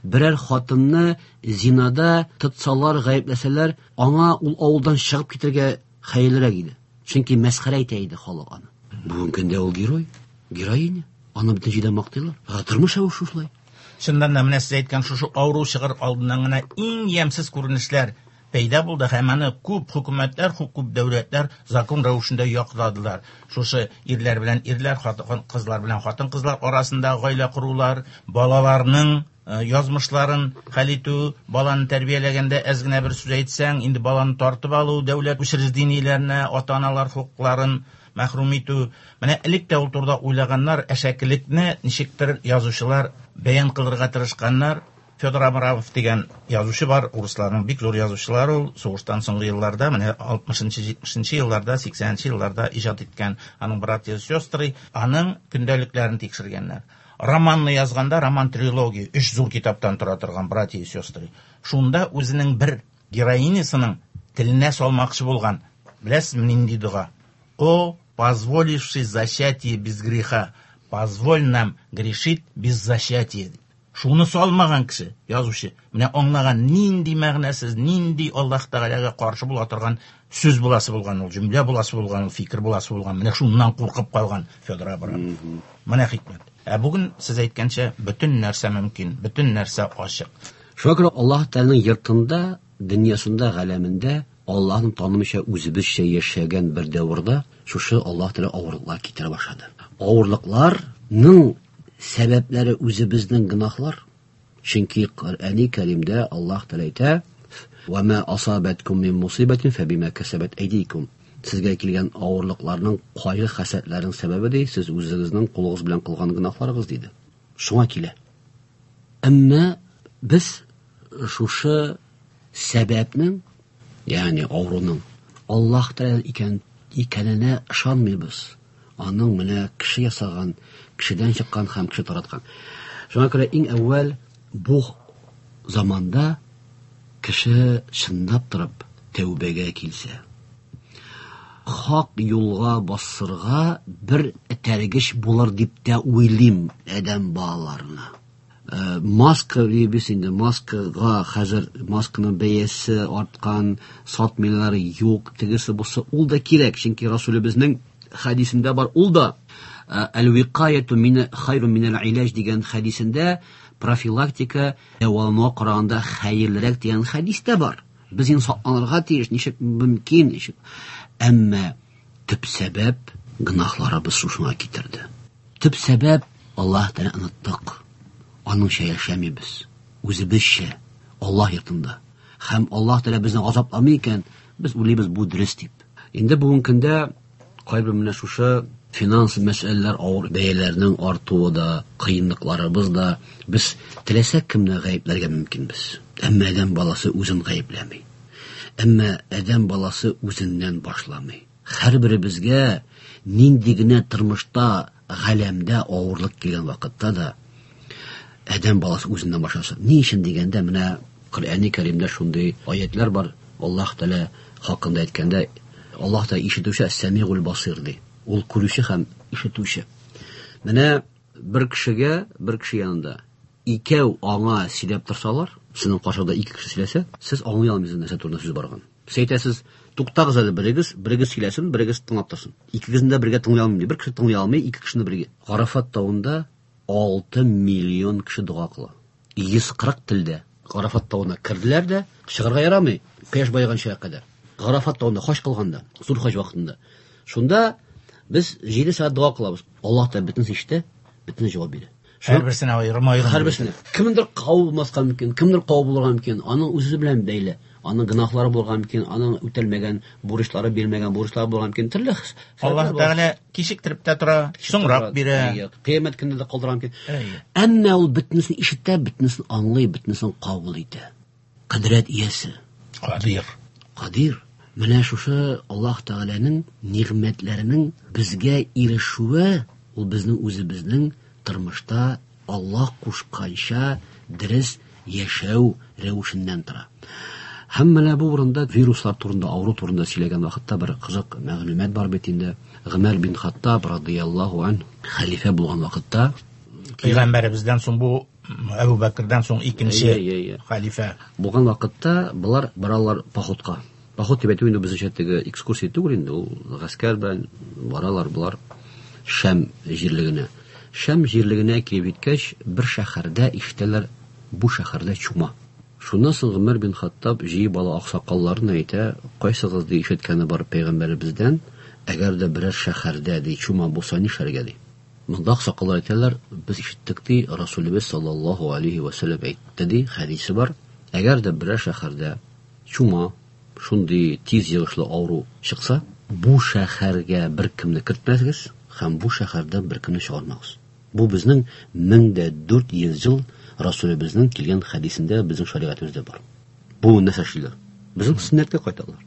берәр хатынны зинада тотсалар, гаепләсәләр, аңа ул авылдан чыгып китәргә хәерлерәк иде. Чөнки мәсхәрә итә иде халык аны. Бүгенге көндә ул герой, героиня. Аны бөтен җирдә мактыйлар. Ә тормыш рәвеше шулай. Чыннан да менә сез әйткән шушы авыру чыгыр алдыннан гына иң ямьсез күренешләр пәйда булды һәм аны күп хөкүмәтләр, күп дәүләтләр закон рәвешендә якладылар. Шушы ирләр белән ирләр, хатын кызлар белән хатын-кызлар арасында гаилә корулар, балаларның язмышларын хәл итү, баланы тәрбияләгәндә әз генә бер сүз әйтсәң, инде баланы тартып алу, дәүләт учреждениеләренә ата-аналар хокукларын мәхрүм итү. Менә элек тә ул турыда уйлаганнар, әшәкелекне ничектер язучылар бәян кылырга тырышканнар. Федор Абрамов дигән язучы бар, урысларның бик зур язучылары ул, сугыштан соңгы елларда, менә 60-70 елларда, 80 елларда иҗат иткән аның «Братья и сестры», аның көндәлекләрен тикшергәннәр. Романны язганда, роман трилогия, 3 зур китаптан тора торган «Братья и сестры». Шунда үзенең бер героинясының теленә салмакчы булган. Беләсезме нинди дога? О, позволивший зачатие без греха, позволь нам грешить без зачатия. Шуны салмаган кеше, язучы, менә аңлаган нинди мәгънәсез, нинди Аллаһ Тәгаләгә каршы була торган сүз буласы булган ул, җөмлә буласы булган ул, фикер буласы булган. Менә шуннан куркып калган Федор Абрамов. Менә хикмәт. Ә бүген сез әйткәнчә, бөтен нәрсә мөмкин, бөтен нәрсә ачык. Шуңа күрә Аллаһ Тәгаләнең йортында, дөньясында, галәмендә Аллаһны танымыйча үзебезчә яшәгән бер дәвердә шушы Аллаһ Тәгалә авырлыклар китерә башлады. Авырлыкларның сәбәпләре үзебезнең гөнаһлар. Чөнки Коръәни Кәримдә Аллаһ Тәгалә әйтә: "Ва ма асабаткум мин мусибатин фабима касабат айдикум". Сезгә килгән авырлыкларның, кайгы хәсрәтләрнең сәбәбе ди, сез үзегезнең кулыгыз белән кылган гөнаһларыгыз диде. Шуңа килә. Әмма без шушы сәбәпнең, ягъни авыруның Аллаһ Тәгалә икәненә ышанмыйбыз. Аның менә кеше ясаган, кешедән чыккан һәм кеше тараткан. Шуңа күрә иң әүвәл бу заманда кеше чынлап торып тәүбәгә килсә, хак юлга басырга бер этәргеч булыр дип тә уйлыйм адәм балаларына. Маска дибез инде, маскага хәзер масканың бәясе арткан, сатмыйлар, юк, тегесе бусы, ул да кирәк, чөнки Расулебезнең хәдисендә бар, ул да әл-виқаяту мин хайру минәл илаҗ дигән хәдисендә профилактика дәвалануга караганда хәерлерәк дигән хәдис тә бар. Без инде сакланырга тиеш, ничек мөмкин, ничек. Әмма төп сәбәп гөнаһларыбыз шушыңа китерде. Төп сәбәп Аллаһ Тәгаләне оныттык. Аныңча яшәмибез. Үзебезчә Аллаһ йортында. Һәм Аллаһ Тәгалә безне газапламый икән, без уйлыйбыз бу дөрес дип. Инде бүгенге көндә кайбер менә шушы финанс мәсьәләләр, авыр бәяләрнең артуы да, кыенлыкларыбыз да, без теләсә кемне гаепләргә мөмкинбез. Әмма адәм баласы үзен гаепләми. Әмма адәм баласы үзеннән башламый. Һәрберебезгә нинди генә тормышта, галәмдә авырлык килгән вакытта да адәм баласы үзеннән башласа. Ни өчен дигәндә, менә Коръәни Кәримдә шундый аятлар бар. Аллаһ Тәгалә хакында әйткәндә, Аллаһ Тәгалә ишетүче, Әс-Сәмигул Басир ди. Ул күрүче һәм ишетүче. Менә бер кешегә, бер кеше янында икәү аңа сөйләп торсалар, сезнең каршыда ике кеше сөйләсә, сез аңлый алмыйсыз нәрсә турында сүз барган. Сез әйтәсез, туктагыз әле берегез, берегез сөйләсен, берегез тыңлап торсын. Икегезне дә бергә тыңлый алмыйм ди. Бер кеше тыңлый алмый, ике кешене бергә. Арафат тавында 6 миллион кеше дога кыла. 140 телдә. Арафат тавына керделәр дә, чыгарга ярамый, кояш баеганча кадәр. Арафат тавында хаҗ кылганда, зур хаҗ вакытында. Шунда без 7 сәгать дога кылабыз. Аллаһ та бөтенесе ишетә, бөтенесе җавап бирә. Һәрберсенә аерым-аерым. Һәрберсенә. Кемдер кабул булмаска мөмкин, кемдер кабул булырга мөмкин. Аның үзе белән бәйле. Аның гөнаһлары булырга мөмкин, аның үтәлмәгән бурычлары, бирмәгән бурычлары булырга мөмкин. Төрле Аллаһ Тәгалә кичектереп тә тора, соңрак бирә. Кыямәт көнендә дә калдыра мөмкин. Әмма ул бөтенесен ишетә, бөтенесен аңлый, бөтенесен кабул итә. Кодрәт иясе. Кадир. Кадир. Менә шушы Аллаһ Тәгаләнең нигъмәтләренең безгә ирешүе, ул безнең үзебезнең тормышта Аллаһ кушканча дөрес яшәү рәвешеннән тора. Һәм менә бу урында вируслар турында, авыру турында сөйләгән вакытта бер кызык мәгълүмат бар бит инде. Гомәр бин Хаттаб радыяллаһу анһу хәлифә булган вакытта, Пәйгамбәребездән соң бу Әбу Бәкердән соң икенче хәлифә булган вакытта болар баралар походка. Поход дип әйтү инде безнеңчә теге экскурсия түгел инде, ул гаскәр белән баралар болар. Шәм җирлегенә. Шәм җирлегенә килеп җиткәч, бер шәһәрдә ишетәләр, бу шәһәрдә чума. Шуннан соң Гомәр бин Хаттаб җыеп ала аксакалларны, әйтә, кайсыгыз ди ишеткәне бар пәйгамбәребездән, әгәр дә берәр шәһәрдә ди чума булса нишләргә ди. Монда аксакаллар әйтәләр, без ишеттек ди, Расулебез саллаллаһу алейһи вә сәлләм әйтте ди, хәдисе бар, әгәр дә берәр шәһәрдә чума, шундый тиз йогышлы авыру чыкса, бу шәһәргә беркемне кертмәгез һәм бу шәһәрдән беркемне чыгармагыз. Бу безнең 1400 ел Расулебезнең килгән хәдисендә безнең шәригатебездә бар. Бу нәрсә эшлиләр? Безнең сөннәткә кайталар.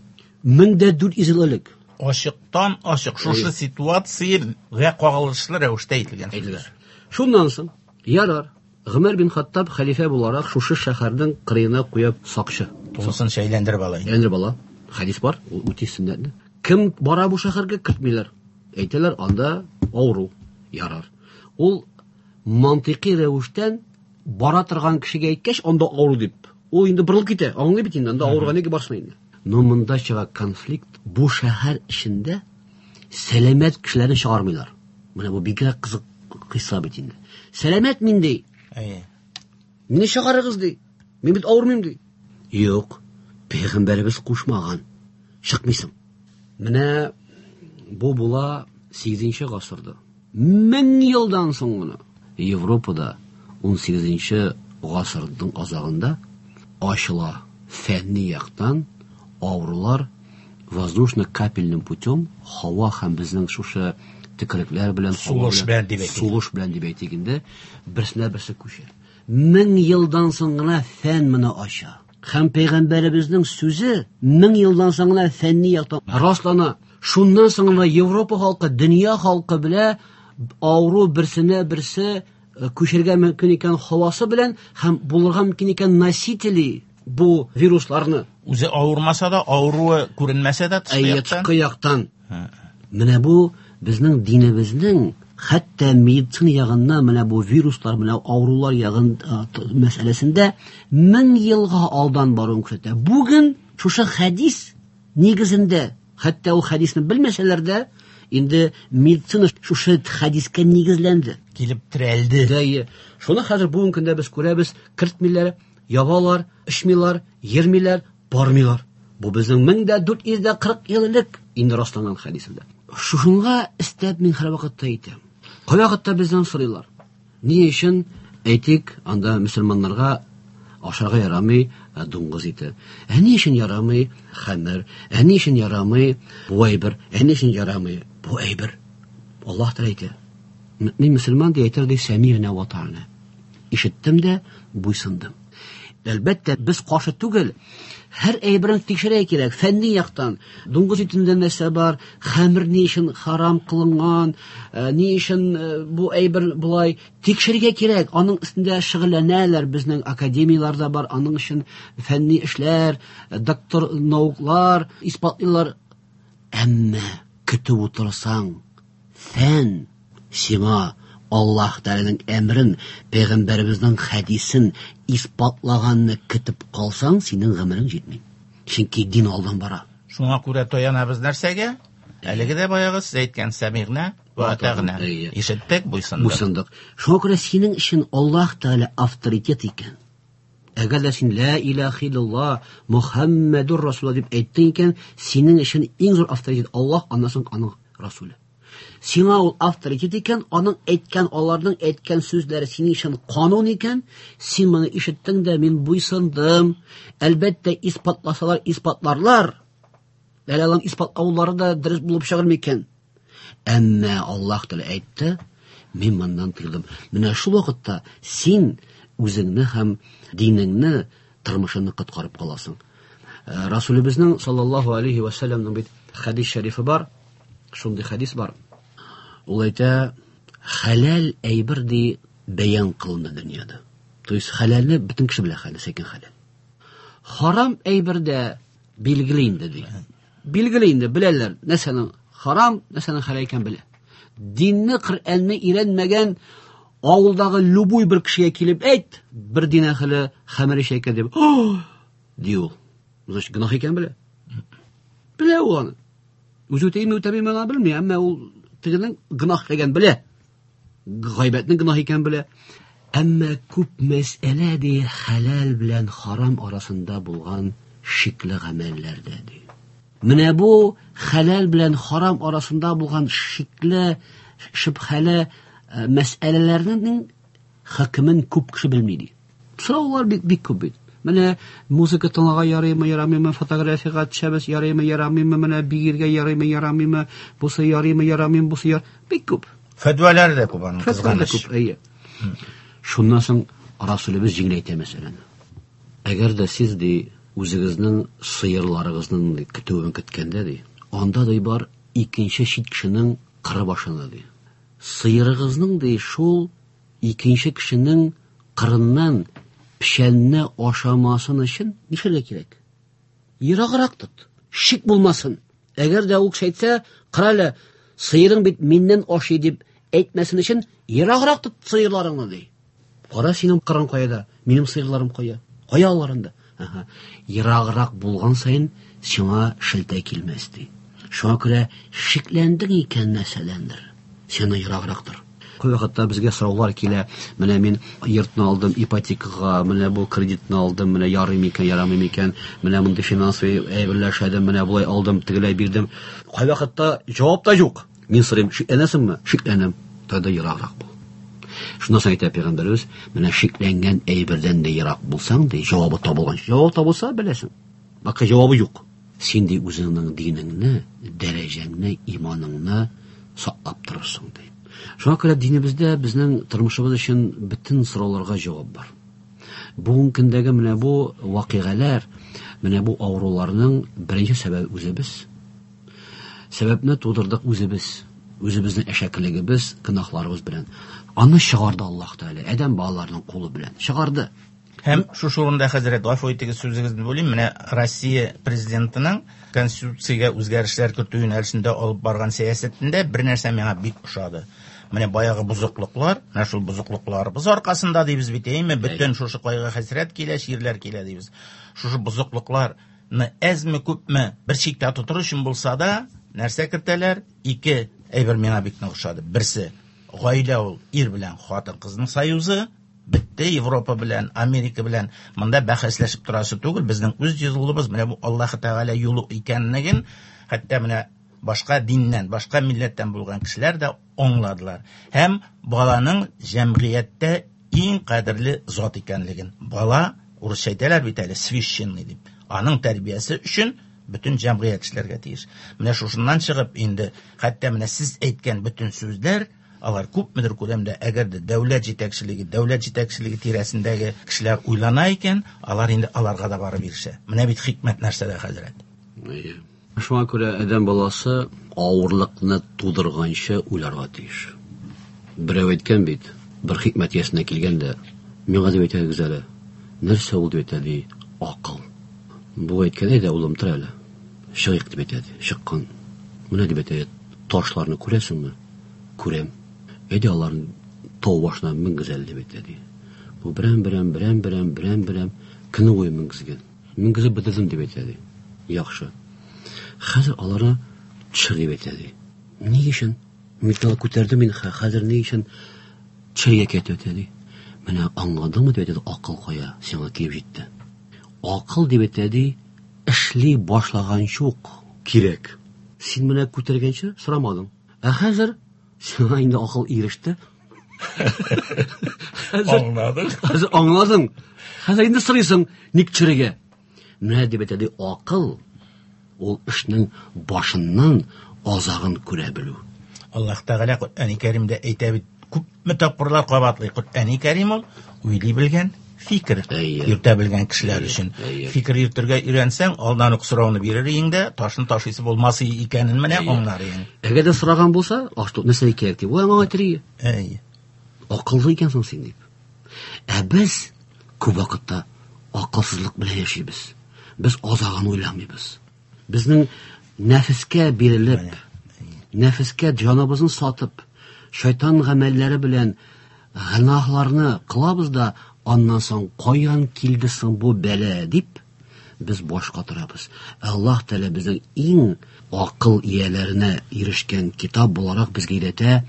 1400 ел элек. Ачыктан ачык шушы ситуациягә кагылышлы рәвештә әйтелгән. Әйтелгән. Шуннан соң, ярар, Гомәр бин Хаттаб хәлифә буларак шушы шәһәрнең кырыена куя сакчы. Тулысынча әйләндереп ала. Әйләндереп ала. Хәдис бар, ул үти сөннәтне. Кем бара бу шәһәргә, кертмиләр. Әйтәләр, анда авыру. Ярар. Ул мантыйкый рәвештән бара торган кешегә әйткәч, анда авыру дип. Ул инде борылып китә, аңлый бит инде, анда авыруга нигә барсын инде. Но монда чыга конфликт, бу шәһәр эчендә сәламәт кешеләрне чыгармыйлар. Менә бу бигрәк кызык кыйса бит инде. Сәламәт мин ди. Әйе. Мине чыгарыгыз ди. Мин бит авырмыйм ди. Юк, пәйгамбәребез кушмаган. Чыкмыйсың. Менә бу була 8 гасырда. 1000 елдан соң гына Европада 18 гасырның азагында ачыла фәнни яктан авырулар воздушно-капельным путем, һава һәм безнең шушы төкерекләр белән, сулыш белән дип әйтик. Сулыш белән дип әйтик инде, берсенә берсе күчә. 1000 елдан соң гына фән моны ача. Һәм пәйгамбәребезнең сүзе 1000 елдан соң гына фәнни яктан раслана. Шуннан соң гына Европа халкы, дөнья халкы белә авыру берсенә берсе күчергә мөмкин икән һавасы белән һәм булырга мөмкин икән носители бу вирусларны. Үзе авырмаса да, авыруы күренмәсә дә тышкы яктан. Тышкы яктан. Менә бу безнең динебезнең хәтта медицина ягыннан менә бу вируслар, менә авырулар ягын мәсьәләсендә 1000 елга алдан баруын күрсәтә. Бүген шушы хәдис нигезендә, хәтта ул хәдисне белмәсәләр дә, инде медицина шушы хәдискә нигезләнде. Килеп терәлде. Дәйе. Шуны хәзер бүгенге көндә без күрәбез, кертмиләр, ябалар, эчмиләр, йөрмиләр, бармыйлар. Бу безнең 1440 ел элек инде расланган хәдисендә. Шушыңа өстәп мин һәр вакытта әйтәм. Кайвакытта бездән сорыйлар. Ни өчен, әйтик, анда мөселманнарга ашарга ярамый дуңгыз ите? Ә ни өчен ярамый хәмер? Ә ни өчен ярамый бу әйбер? Ә ни өчен ярамый бу әйбер? Аллаһ Тәгалә әйтә. Мин мөселман дип әйтер ди, сәмигънә ва атаъна. Ишеттем дә буйсындым. Әлбәттә, без каршы түгел. Һәр әйберен тикшерергә кирәк, фәнни яктан. Дуңгыз итендә нәрсә бар, хәмер ни өчен харам кылынган, ни өчен бу әйбер болай тикшерергә кирәк. Аның өстендә шөгыльләнәләр, безнең академияләрдә бар, аның өчен фәнни эшләр, доктор науклар исбатлыйлар. Әмма көтеп утырсаң, фән сиңа Аллаһ Тәгаләнең әмрен, пәйгамбәребезнең хәдисен исбатлаганны көтеп калсаң, синең гомерең җитми. Чөнки дин алдан бара. Шуңа күрә таянабыз нәрсәгә? Әлеге дә баягы сез әйткән сәмигънә ва атагъна. Ишеттек, буйсындык. Буйсындык. Шуңа күрә синең өчен Аллаһ Тәгалә авторитет икән. Әгәр дә син ла илаһа иллаллаһ Мухаммадур Расулуллаһ дип әйттең икән, синең өчен иң зур авторитет Аллаһ, аннан соң аның Расуле. Сиңа ул авторитет икән, аның әйткән, аларның әйткән сүзләре синең өчен канун икән, син моны ишеттең дә, мин буйсындым. Әлбәттә, исбатласалар, исбатларлар. Әле аларның исбатлаулары да дөрес булып чыгыр микән? Әмма Аллаһ Тәгалә әйтте, мин моннан тыелдым. Менә шул вакытта син үзеңне һәм динеңне, тормышыңны коткарып каласың. Расулебезнең саллаллаһу алейхи ва сәлләмнең бит хәдис шәрифе бар. Шундый хәдис бар. Ул әйтә, хәләл әйбер ди бәян кылынды дөньяда. То есть хәләлне бөтен кеше белә, хәләл, сәкин хәләл. Харам әйбер дә билгеле инде ди. Билгеле инде, беләләр, нәрсәнең харам, нәрсәнең хәләл икәнен белә. Динне, Коръәнне өйрәнмәгән авылдагы любой бер кешегә килеп әйт, бер дин әһеле хәмер эчә икән дип, О! ди ул. Значит, гөнаһ икәнен белә. Белә ул аны. Үзе үтәйме, үтәмиме, аны белми, әмма ул Тегенең гөнаһ эшләгән белә. Гайбәтнең гөнаһ икәнен белә. Әмма күп мәсьәлә ди хәләл белән харам арасында булган шикле гамәлләрдә ди. Менә бу хәләл белән харам арасында булган шикле, шөбһәле мәсьәләләрнең хөкемен күп кеше белми ди. Сораулар бик бик күп бит. Менә музыка тыңларга ярыймы, ярамыймы, фотографиягә төшәбез, ярыймы, ярамыймы, менә биергә ярыймы, ярамыймы, бусы ярыймы, ярамыймы, бусы яр... Бик күп. Фәтвалар да күп аның, Фәтвалар да кызганыч. күп, әйе. Шуннан соң Расулебез җиңеләйтә мәсьәләне. Әгәр дә сез ди үзегезнең сыерларыгызның ди, көтүен көткәндә ди, анда ди бар икенче чит кешенең кыры башында ди. Сыерыгызның ди шул икенче кешенең кырыннан печәнне ашамасын өчен нишләргә кирәк? Ераграк тот. Шик булмасын. Әгәр дә ул кеше әйтсә, кара әле, сыерың бит миннән ашый дип әйтмәсен өчен ераграк тот сыерларыңны ди. Кара синең кырың каяда, минем сыерларым кая? Кая алар анда? Аһа. Ераграк булган саен сиңа шелтә килмәс ди. Шуңа күрә шикләндең икән нәрсәдәндер, сиңа ераграк тор. Күп вакытта безгә сораулар килә. Менә мин йортны алдым ипотекага, менә бу кредитны алдым, менә ярый микән, ярамый микән, менә мондый финансовый әйберләр эшләдем, менә болай алдым, тегеләй бирдем. Кайвакытта җавап та юк. Мин сорыйм, шикләнәсеңме? Шикләнәм. Тогда ераграк бул. Шуннан соң әйтә пәйгамбәребез, менә шикләнгән әйбердән дә ерак булсаң, ди, җавабы табылган. Җавап табылса, беләсең. Бакы җавабы юк. Син ди үзеңнең динеңне, дәрәҗәңне, иманыңны саклап торырсың ди. Шуңа күрә динебездә безнең тормышыбыз өчен бөтен сорауларга җавап бар. Бүгенге көндәге менә бу вакыйгалар, менә бу авыруларның беренче сәбәбе үзебез. Сәбәпне тудырдык үзебез. Үзебезнең әшәкелегебез, гөнаһларыбыз белән. Аны чыгарды Аллаһ Тәгалә, адәм балаларының кулы белән. Чыгарды. Һәм шушы урында, хәзрәт, гафу итегез, сүзегезне бүлим. Менә Россия президентының конституциягә үзгәрешләр кертү юнәлешендә алып барган сәясәтендә бер нәрсә миңа бик ошады. Менә баягы бозыклыклар, менә шул бозыклыкларыбыз аркасында дибез бит, әйме, бөтен шушы кайгы-хәсрәт килә, чирләр килә дибез. Шушы бозыклыкларны әзме күпме бер чиктә тотыр өчен булса да, нәрсә кертәләр? Ике әйбер миңа бик нык ошады. Берсе, гаилә ул ир белән хатын-кызның союзы. Бетте Европа белән, Америка белән монда бәхәсләшеп торасы түгел. Безнең үз юлыбыз менә бу Аллаһ Тәгалә юлы икәнлеген, хәтта менә башка диннән, башка милләттән булган кешеләр дә аңладылар. Һәм баланың җәмгыятьтә иң кадерле зат икәнлеген. Бала, урысча әйтәләр бит әле, священный дип. Аның тәрбиясе өчен бөтен җәмгыять эшләргә тиеш. Менә шушыннан чыгып инде, хәтта менә сез әйткән бөтен сүзләр, алар күпмедер күләмдә, әгәр дә дәүләт җитәкчелеге, дәүләт җитәкчелеге тирәсендәге кешеләр уйлана икән, алар инде аларга да барып ирешә. Менә бит хикмәт нәрсәдә, хәзрәт. Әйе. Шуңа күрә адәм баласы авырлыкны тудырганчы уйларга тиеш. Берәү әйткән бит, бер хикмәт иясенә килгәндә, миңа дип әйтәгез әле, нәрсә ул дип әйтә, ди, акыл. Бу әйткән, әйдә, улым, тор әле. Чыгыйк дип әйтә, ди, чыккан. Менә дип әйтә, ташларны күрәсеңме? Күрәм. Әйдә аларны тау башына менгез әле дип әйтә, ди. Бу берәм-берәм, берәм-берәм, берәм-берәм көне буе менгезгән. Менгезеп бетердем дип әйтә, ди. Яхшы. Хәзер аларны төшер дип әйтә, ди. Ни өчен? Металл күтәрдем мин, хәзер ни өчен төшергә кирәк дип әйтә, ди. Менә аңладыңмы дип әйтә, акыл кая сиңа килеп җитте. Акыл дип әйтә, ди, эшли башлаганчы ук кирәк. Син менә күтәргәнче сорамадың. Ә хәзер сиңа инде акыл иреште. Аңладың. Хәзер аңладың. Хәзер инде сорыйсың, ник төшерергә? Менә дип әйтә, ди, акыл ул эшнең башыннан азагын күрә белү. Аллаһ Тәгалә Коръәни Кәримдә әйтә бит, күпме тапкырлар кабатлый. Коръәни Кәрим ул уйлый белгән, фикер йөртә белгән кешеләр өчен. Фикер йөртергә өйрәнсәң, алдан ук сорауны бирер иең дә, ташын ташыйсы булмас икәнен менә аңлар иең. Әгәр дә сораган булса, ашты нәрсә кирәк дип, ул аңа әйтер иде. Акыллы икәнсең син дип. Ә без күп вакытта акылсызлык белән яшибез. Без азагын уйламыйбыз. Безнең нәфескә бирелеп, нәфескә җаныбызны сатып, шайтан гамәлләре белән гөнаһларны кылабыз да, аннан соң каян килде соң бу бәла дип, без баш катырабыз. Ә Аллаһ Тәгалә безнең иң акыл ияләренә ирешкән китап буларак безгә өйрәтә,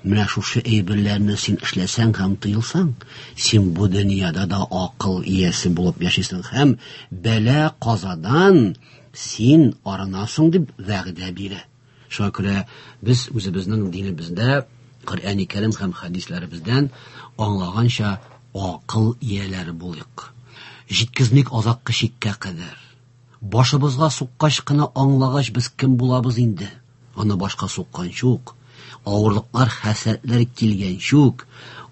менә шушы әйберләрне син эшләсәң һәм тыелсаң, син бу дөньяда да акыл иясе булып яшисең һәм бәла-казадан син арынасың дип вәгъдә бирә. Шуңа күрә без үзебезнең динебездә Коръәни Кәрим һәм хәдисләребездән аңлаганча акыл ияләре булыйк. Җиткезмик азаккы чиккә кадәр. Башыбызга суккач кына аңлагач без кем булабыз инде? Аны башка сукканчы ук, авырлыклар, хәсрәтләр килгәнче үк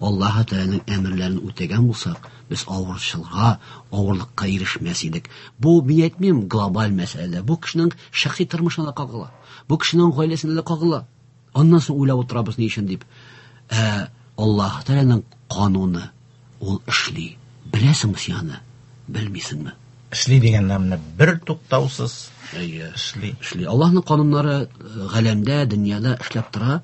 Аллаһы Тәгаләнең әмерләрен үтәгән булсак, без авырчылга, авырлыкка ирешмәс идек. Бу, мин әйтмим, глобаль мәсьәлә. Бу кешенең шәхси тормышына да кагыла. Бу кешенең гаиләсенә дә кагыла. Аннан соң уйлап утырабыз ни өчен дип. Ә Аллаһы Тәгаләнең кануны ул эшли. Беләсеңме син аны? Белмисеңме? Эшли дигәндә менә бер туктаусыз Әйе. эшли. Эшли. Аллаһның кануннары галәмдә, дөньяда эшләп тора.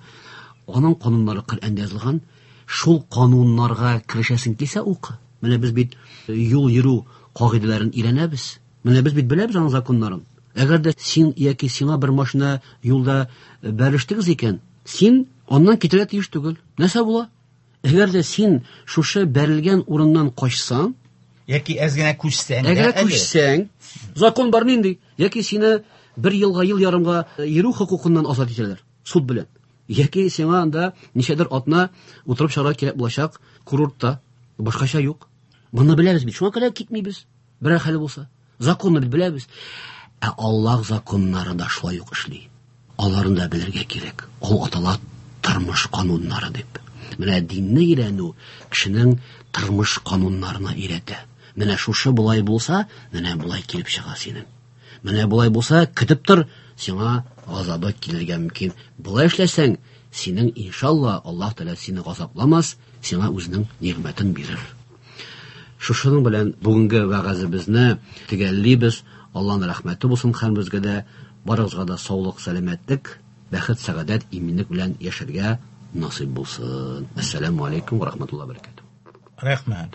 Аның кануннары Коръәндә язылган. Шул кануннарга керешәсең килсә, укы. Менә без бит юл йөрү кагыйдәләрен өйрәнәбез. Менә без бит беләбез аның законнарын. Әгәр дә син яки сиңа бер машина юлда бәрелештегез икән, син аннан китәргә тиеш түгел. Нәрсә була? Әгәр дә син шушы бәрелгән урыннан качсаң, Яки әз генә күчсәң дә әгәр әле. күчсәң, закон бар нинди? Яки сине бер елга, ел ярымга йөрү хокукыннан азат итәләр, суд белән. Яки сиңа анда ничәдер атна утырып чыгарга кирәк булачак курортта. Башкача юк. Моны беләбез бит. Шуңа күрә китмибез. Берәр хәле булса. Законны бит беләбез. Ә Аллаһ законнары да шулай ук эшли. Аларын да белергә кирәк. Ул атала тормыш кануннары дип. Менә динне өйрәнү кешенең тормыш кануннарына өйрәтә. Менә шушы болай булса, менә болай килеп чыга синең. Менә болай булса, көтеп тор, сиңа газабы килергә мөмкин. Болай эшләсәң, синең иншалла Аллаһ Тәгалә сине газапламас, сиңа үзенең нигъмәтен бирер. Шушының белән бүгенге вәгазебезне төгәллибез. Аллаһның рәхмәте булсын һәммәбезгә дә, барыгызга да саулык, сәламәтлек, бәхет, сәгадәт, иминлек белән яшәргә насыйп булсын. Ассаламу алейкум ва рахматуллаһи ва баракатуһ. Рәхмәт.